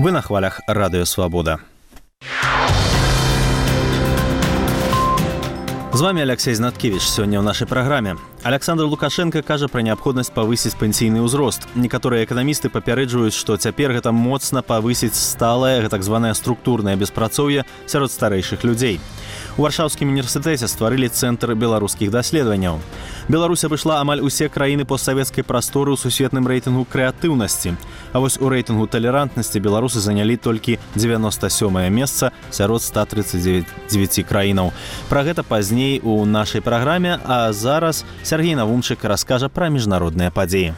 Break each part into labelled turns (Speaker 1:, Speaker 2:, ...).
Speaker 1: Вы на хвалях Радыё Свабода. З вами Алексей Знаткевич. Сегодня в нашей программе. Александр Лукашенко кажа про необходимость повысить пенсійны ўзрост. Некаторыя эканамісты папярэджваюць, што цяпер гэта моцна павысіць сталае, так званае структурнае беспрацоўе сярод старэйшых людзей. У Варшаўскім універсітэце стварылі цэнтр беларускіх даследаванняў. Беларусь абышла амаль усе краіны постсавецкай прасторы ў сусветным рэйтынгу крэатыўнасці. А вось у рэйтынгу талерантнасці беларусы занялі толькі 97-е месца сярод 139 краінаў. Пра гэта пазней у нашай праграме, а зараз Сергей Навумчык раскажа пра міжнародныя падзеі.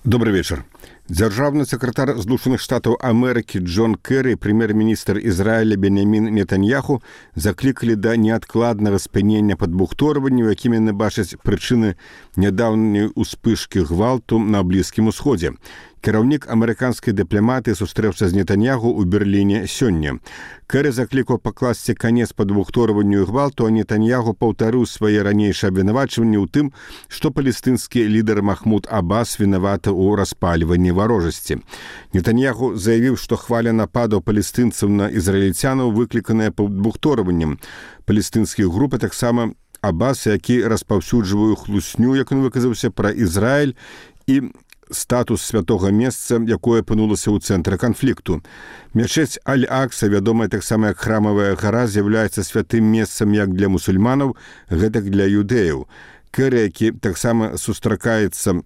Speaker 2: Добрый вечер. Дзяржаўны сакратар Злучаных Штатаў Амерыкі Джон Кэры і прэм'ер-міністр Ізраіля Бенямін Нетаньяху заклікалі да неадкладнага спынення падбухторванняў, якімі яны бачаць прычыны нядаўняй успышкі гвалту на Блізкім Усходзе. Кіраўнік амерыканскай дыпламатыі сустрэўся з Нетаньяху ў Берліне сёння. Кэры заклікаў пакласці канец падбухторванню і гвалту, а Нетаньяху паўтарыў свае ранейшыя абвінавачванні ў тым, што палестынскі лідар Махмуд Аббас вінаваты ў распальванні варожасці. Нетаньяху заявіў, што хваля нападаў палестынцаў на ізраільцянаў выкліканая падбухторваннем палестынскіх груп, а таксама Аббас, які распаўсюджвае хлусню, як ён выказаўся, пра Ізраіль і статус святога месца, якое апынулася ў цэнтры канфлікту. Мячэць Аль-Акса, вядомая таксама як храмавая гара, з'яўляецца святым месцам як для мусульманаў, гэтак для юдэяў. Кэры, які таксама сустракаецца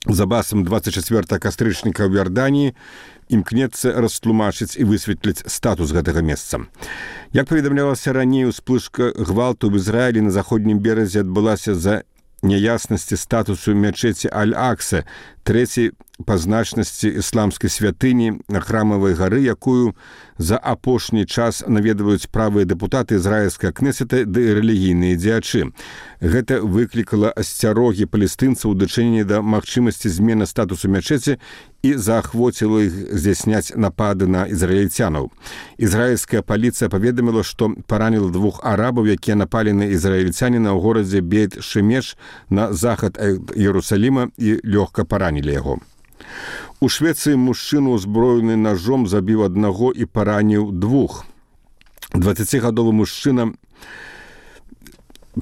Speaker 2: з Аббасам 24 кастрычніка ў Іорданіі, імкнецца растлумачыць і высветліць статус гэтага месца. Як паведамлялася раней, успышка гвалту ў Ізраілі на заходнім беразе адбылася за няяснасці статусу мячэці Аль-Акса, трэцяй па значнасці ісламскай святыні на храмавай гары, якую за апошні час наведваюць правыя дэпутаты ізраільскага кнесета ды рэлігійныя дзеячы. Гэта выклікала асцярогі палестынцаў у дачыненні да магчымасці змены статусу мячэці і заахвоціла іх здзяйсняць напады на ізраільцянаў. Ізраільская паліцыя паведаміла, што параніла 2 арабаў, якія напалі на ізраільцяніна ў горадзе Бейт-Шемеш на захад ад Іерусаліма і лёгка паранілі яго. У Швецыі мужчыну, узброены ножом, забіў аднаго і параніў 2. 20-гадовы мужчына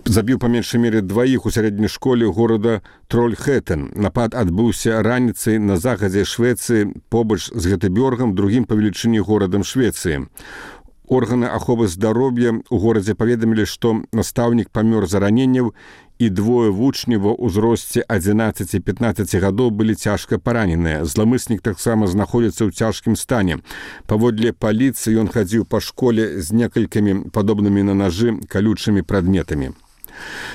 Speaker 2: забіў па меншай мере 2 у сярэдняй школе горада Трольхэтен. Напад адбыўся раніцай на захадзе Швецыі побач з Гетебёргам, другім па велічыні горадам Швецыі. Органы аховы здароўя ў горадзе паведамілі, што настаўнік памёр з раненняў і 2 вучні ва ўзросце 11 і 15 гадоў былі цяжка параненыя. Зламыснік таксама знаходзіцца ў цяжкім стане. Паводле паліцыі ён хадзіў па школе з некалькімі падобнымі на нажы калючымі прадметамі.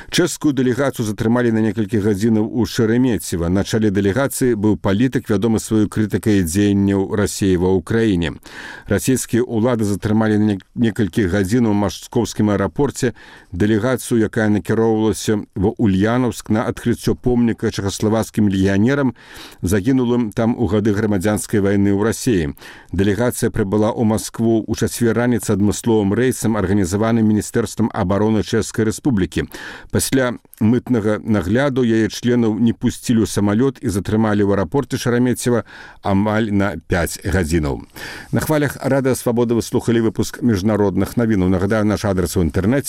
Speaker 2: Чэшскую дэлегацыю затрымалі на некалькі гадзінаў у Шереметьево. На чале дэлегацыі быў палітык, вядомы сваёй крытыкай дзеянняў Расіі ва ўкраіне. Расійскія ўлады затрымалі на некалькі гадзінаў у Машковскім аэрапорце дэлегацыю, якая накіроўвалася ва Ульянаўск на адкрыццё помніка чэхаславацкім легіянерам, загінулым там у гады грамадзянскай вайны ў Расіі. Дэлегацыя прыбыла ў Маскву ў чацвер раніцы адмысловым рэйсам, арганізаваным Міністэрствам абароны Чэшскай Рэспублікі. Пасля мытнага нагляду яе членаў не пусцілі ў самалёт і затрымалі ў аэрапорце Шереметьева амаль на 5 гадзінаў. На хвалях Радыё Свабода вы слухалі выпуск міжнародных навінаў. Нагадаю, наш адрес у інтэрнэце